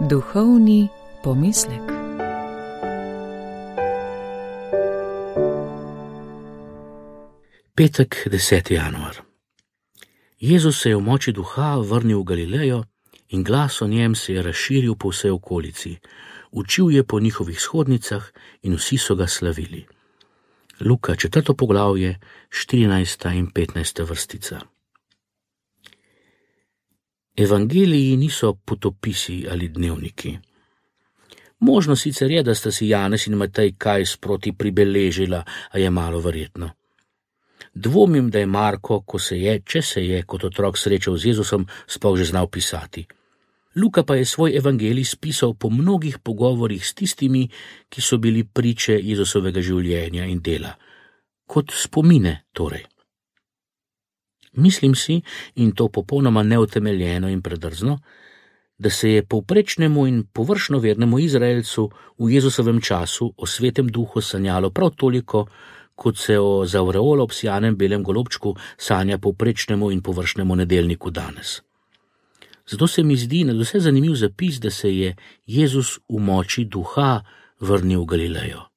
Duhovni pomislek. Petek, 10. januar. Jezus se je v moči duha vrnil v Galilejo in glas o njem se je razširil po vsej okolici. Učil je po njihovih shodnicah in vsi so ga slavili. Luka, 4. poglavje, 14. in 15. vrstica. Evangeliji niso potopisi ali dnevniki. Možno sicer je, da sta si Janez in Matej kaj sproti pribeležila, a je malo verjetno. Dvomim, da je Marko, če se je kot otrok srečal z Jezusom, sploh že znal pisati. Luka pa je svoj evangelij spisal po mnogih pogovorih s tistimi, ki so bili priče Jezusovega življenja in dela. Kot spomine torej. Mislim si, in to popolnoma neutemeljeno in predrzno, da se je povprečnemu in površno vernemu Izraelcu v Jezusovem času o svetem duhu sanjalo prav toliko, kot se o z avreolo obsijanem belem golobčku sanja povprečnemu in površnemu nedeljniku danes. Zato se mi zdi nadvse zanimiv zapis, da se je Jezus v moči duha vrnil v Galilejo.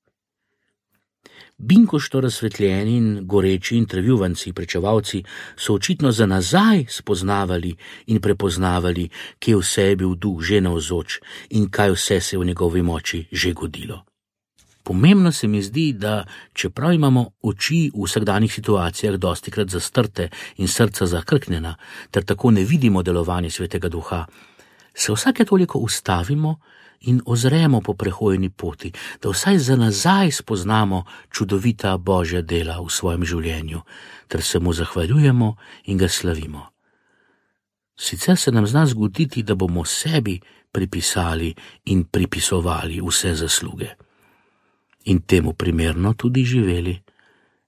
Binkošto razsvetljeni in goreči intervjuvanci, pričevalci so očitno za nazaj spoznavali in prepoznavali, kje vse je bil duh že navzoč in kaj vse se je v njegovi moči že godilo. Pomembno se mi zdi, da čeprav imamo oči v vsakdanjih situacijah dostikrat zastrte in srca zakrknjena, ter tako ne vidimo delovanje svetega duha, se vsake toliko ustavimo in ozremo po prehojeni poti, da vsaj za nazaj spoznamo čudovita Božja dela v svojem življenju, ter se mu zahvaljujemo in ga slavimo. Sicer se nam zna zgoditi, da bomo sebi pripisali in pripisovali vse zasluge. In temu primerno tudi živeli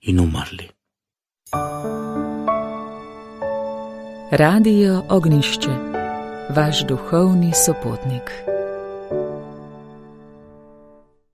in umrli. Radio Ognjišče, vaš duhovni sopotnik.